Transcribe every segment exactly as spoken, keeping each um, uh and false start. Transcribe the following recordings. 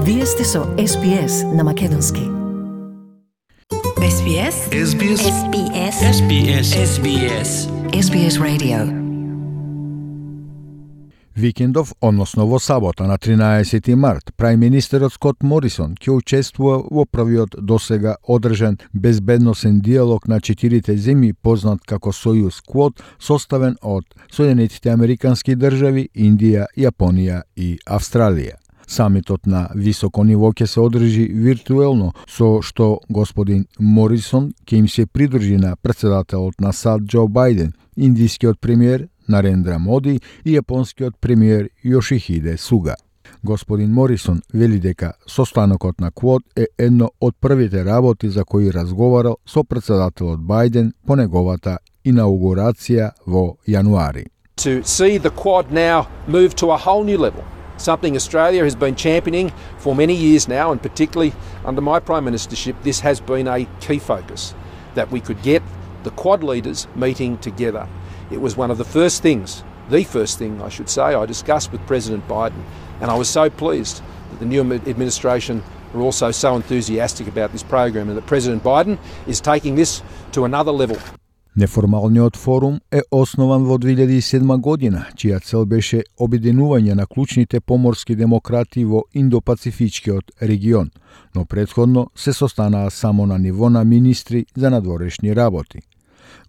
Вие сте со Ес Би Ес на македонски. Ес Би Ес? Ес Би Ес? Ес Би Ес? Ес Би Ес? Ес Би Ес? Ес Би Ес Radio. Викендов, односно во сабота на тринаесети март, прајминистерот Скот Морисон ќе учествува во првиот досега одржан безбедносен диалог на четирите земји, познат како Сојуз Квод, составен од Соединетите Американски држави, Индија, Јапонија и Австралија. Самитот на високо ниво ќе се одржи виртуелно, со што господин Морисон ќе им се придружи на претседателот на САД Џо Бајден, индискиот премиер Нарендра Моди и јапонскиот премиер Јошихиде Суга. Господин Морисон вели дека состанокот на Квод е едно од првите работи за кои разговарал со претседателот Бајден по неговата инаугурација во јануари. To see the Quad now move to a whole new level, something Australia has been championing for many years now, and particularly under my Prime Ministership, this has been a key focus, that we could get the Quad leaders meeting together. It was one of the first things, the first thing I should say, I discussed with President Biden, and I was so pleased that the new administration are also so enthusiastic about this program and that President Biden is taking this to another level. Неформалниот форум е основан во две илјади и седма година, чија цел беше обединување на клучните поморски демократи во Индо-Пацифичкиот регион, но претходно се состанаа само на ниво на министри за надворешни работи.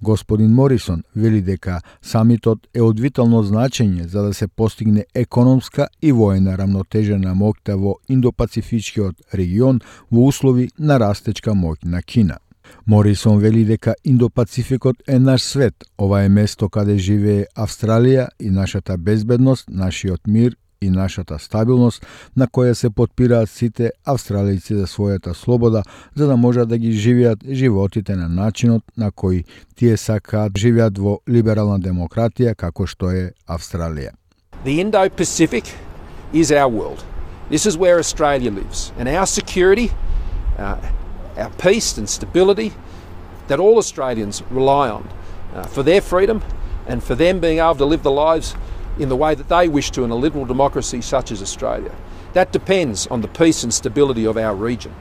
Господин Морисон вели дека самитот е од витално значење за да се постигне економска и воена рамнотежа на моќта во Индо-Пацифичкиот регион во услови на растечка моќ на Кина. Морисон вели дека Индо-Пацификот е наш свет, ова е место каде живее Австралија и нашата безбедност, нашиот мир и нашата стабилност, на која се потпираат сите австралијци за својата слобода, за да можат да ги живеат животите на начинот на кој тие сакаат живеат во либерална демократија како што е Австралија. The Indo-Pacific is our world. This is where Australia lives, and our security, uh, our peace and stability that all Australians rely on uh, for their freedom and for them being able to live the lives in the way that they wish to in a liberal democracy such as Australia. That depends on the peace and stability of our region.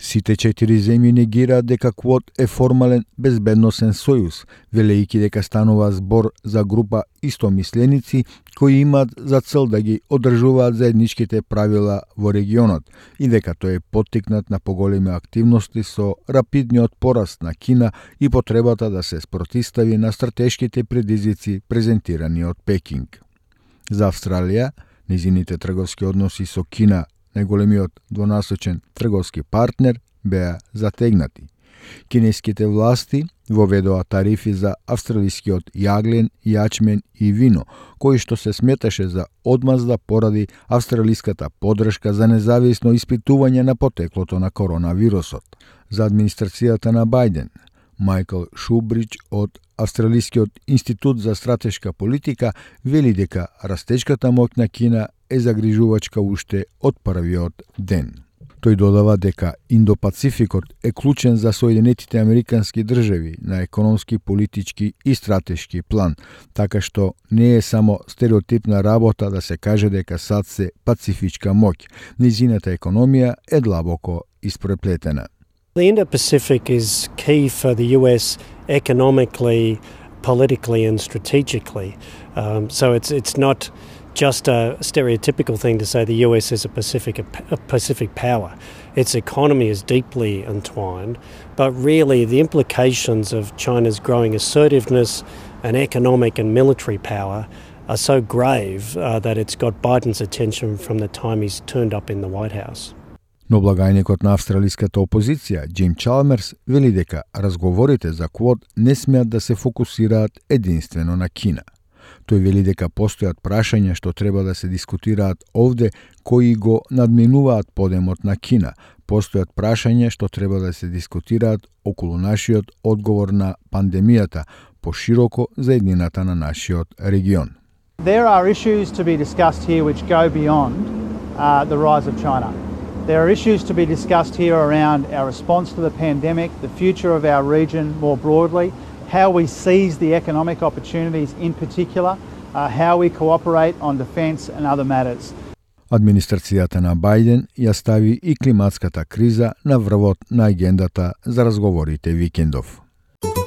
Сите четири земји негираат дека Квод е формален безбедносен сојуз, велејќи дека станува збор за група истомисленици кои имаат за цел да ги одржуваат заедничките правила во регионот и дека тој е поттикнат на поголеми активности со рапидниот пораст на Кина и потребата да се спротистави на стратешките предизвици презентирани од Пекинг. За Австралија, низините трговски односи со Кина, најголемиот двонасочен трговски партнер, беа затегнати. Кинеските власти воведоа тарифи за австралискиот јаглен, јачмен и вино, кои што се сметаше за одмазда поради австралиската подршка за независно испитување на потеклото на коронавирусот. За администрацијата на Бајден, Мајкл Шубридж од Австралискиот институт за стратешка политика вели дека растечката моќ на Кина е загрижувачка уште од првиот ден. Тој додава дека Индо-Пацификот е клучен за Соединетите Американски држави на економски, политички и стратешки план, така што не е само стереотипна работа да се каже дека САД се пацифичка моќ. Низината економија е длабоко испреплетена. The Indo-Pacific is key for the U S economically, politically and strategically. Um, so it's it's not just a stereotypical thing to say the U S is a Pacific a Pacific power. Its economy is deeply entwined, but really the implications of China's growing assertiveness and economic and military power are so grave uh, that it's got Biden's attention from the time he's turned up in the White House. Но благајникот на австралиската опозиција, Џим Чалмерс, вели дека разговорите за Квод не смеат да се фокусираат единствено на Кина. Тој вели дека постојат прашања што треба да се дискутираат овде кои го надминуваат подемот на Кина. Постојат прашања што треба да се дискутираат околу нашиот одговор на пандемијата, пошироко за еднината на нашиот регион. There are issues to be discussed here which go beyond uh, the rise of China. There are issues to be discussed here around our response to the pandemic, the future of our region more broadly, how we seize the economic opportunities in particular, uh, how we cooperate on defence and other matters. Администрацијата на Бајден ја стави и климатската криза на врвот на агендата за разговорите викендов.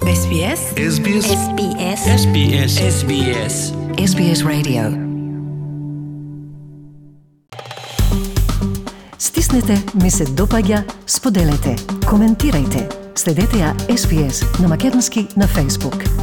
Ес Би Ес. Ес Би Ес. Ес Би Ес. Ес Би Ес. Ес Би Ес. Ес Би Ес Radio. Стиснете, ми се допаѓа, споделете, коментирајте. Следете ја Ес Би Ес на македонски на Facebook.